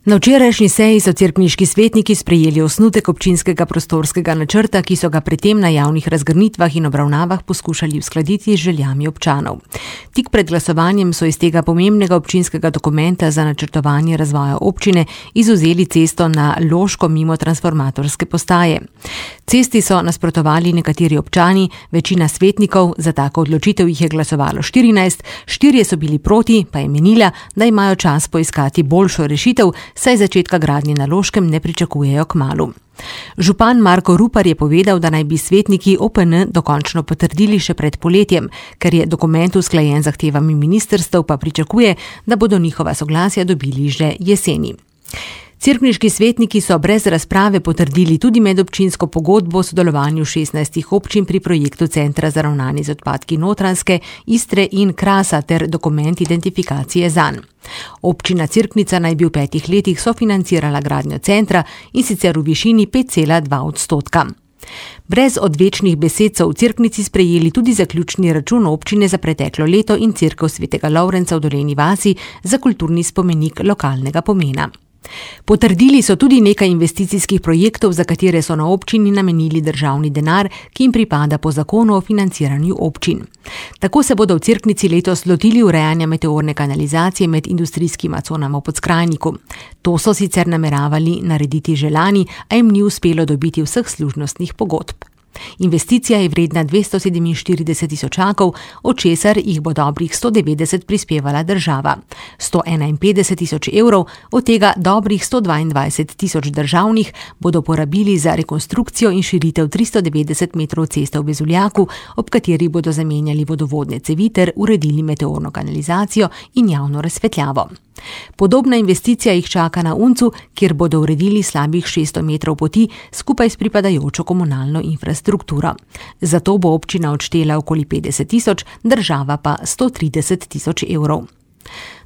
Na včerajšnji seji so cerkniški svetniki sprejeli osnutek občinskega prostorskega načrta, ki so ga predtem na javnih razgrnitvah in obravnavah poskušali uskladiti z željami občanov. Tik pred glasovanjem so iz tega pomembnega občinskega dokumenta za načrtovanje razvoja občine izvzeli cesto na Loško mimo transformatorske postaje. Cesti so nasprotovali nekateri občani, večina svetnikov, za tako odločitev jih je glasovalo 14, 4 so bili proti, pa je menila, da imajo čas poiskati boljšo rešitev, saj začetka gradnje na Loškem ne pričakujejo kmalu. Župan Marko Rupar je povedal, da naj bi svetniki OPN dokončno potrdili še pred poletjem, ker je dokument usklajen z zahtevami ministrstev, pa pričakuje, da bodo njihova soglasja dobili že jeseni. Cerkniški svetniki so brez razprave potrdili tudi medobčinsko pogodbo o sodelovanju 16 občin pri projektu Centra za ravnanje z odpadki Notranjske, Istre in Krasa ter dokument identifikacije zanj. Občina Cerknica naj bi v 5 letih sofinancirala gradnjo centra in sicer v višini 5,2%. Brez odvečnih besed so v Cerknici sprejeli tudi zaključni račun občine za preteklo leto in cerkev svetega Lovrenca v Dolenji vasi za kulturni spomenik lokalnega pomena. Potrdili so tudi nekaj investicijskih projektov, za katere so na občini namenili državni denar, ki jim pripada po zakonu o financiranju občin. Tako se bodo v Cerknici letos lotili urejanja meteorne kanalizacije med industrijskima conama v Podskrajniku. To so sicer nameravali narediti že lani, a jim ni uspelo dobiti vseh služnostnih pogodb. Investicija je vredna 247 tisočakov, od česar jih bo dobrih 190 prispevala država. 151 tisoč evrov, od tega dobrih 122 tisoč državnih, bodo porabili za rekonstrukcijo in širitev 390 metrov ceste v Bezuljaku, ob kateri bodo zamenjali vodovodne cevi ter uredili meteorno kanalizacijo in javno razsvetljavo. Podobna investicija jih čaka na Uncu, kjer bodo uredili slabih 600 metrov poti skupaj s pripadajočo komunalno infrastrukturo. Zato bo občina odštela okoli 50 tisoč, država pa 130 tisoč evrov.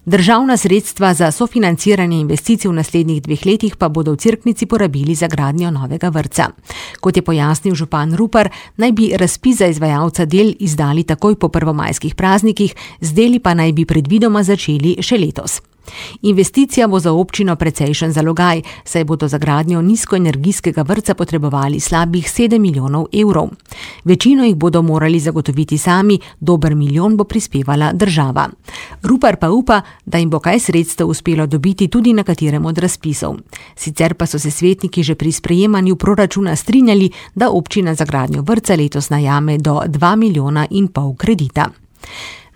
Državna sredstva za sofinanciranje investicij v naslednjih 2 letih pa bodo v Cerknici porabili za gradnjo novega vrtca. Kot je pojasnil župan Rupar, naj bi razpis za izvajalca del izdali takoj po prvomajskih praznikih, z deli pa naj bi predvidoma začeli še letos. Investicija bo za občino precejšen zalogaj, saj bodo za gradnjo nizkoenergijskega vrtca potrebovali slabih 7 milijonov evrov. Večino jih bodo morali zagotoviti sami, dober milijon bo prispevala država. Rupar pa upa, da jim bo kaj sredstev uspelo dobiti tudi na katerem od razpisov. Sicer pa so se svetniki že pri sprejemanju proračuna strinjali, da občina za gradnjo vrtca letos najame do 2,5 milijona kredita.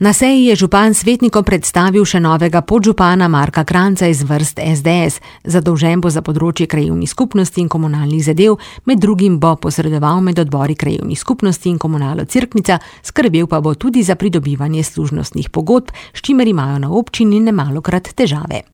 Na seji je župan svetnikom predstavil še novega podžupana Marka Kranjca iz vrst SDS. Zadolžen bo za področje krajevnih skupnosti in komunalnih zadev, med drugim bo posredoval med odbori krajevnih skupnosti in komunalo Cerknica, skrbel pa bo tudi za pridobivanje služnostnih pogodb, s čimer imajo na občini nemalokrat težave.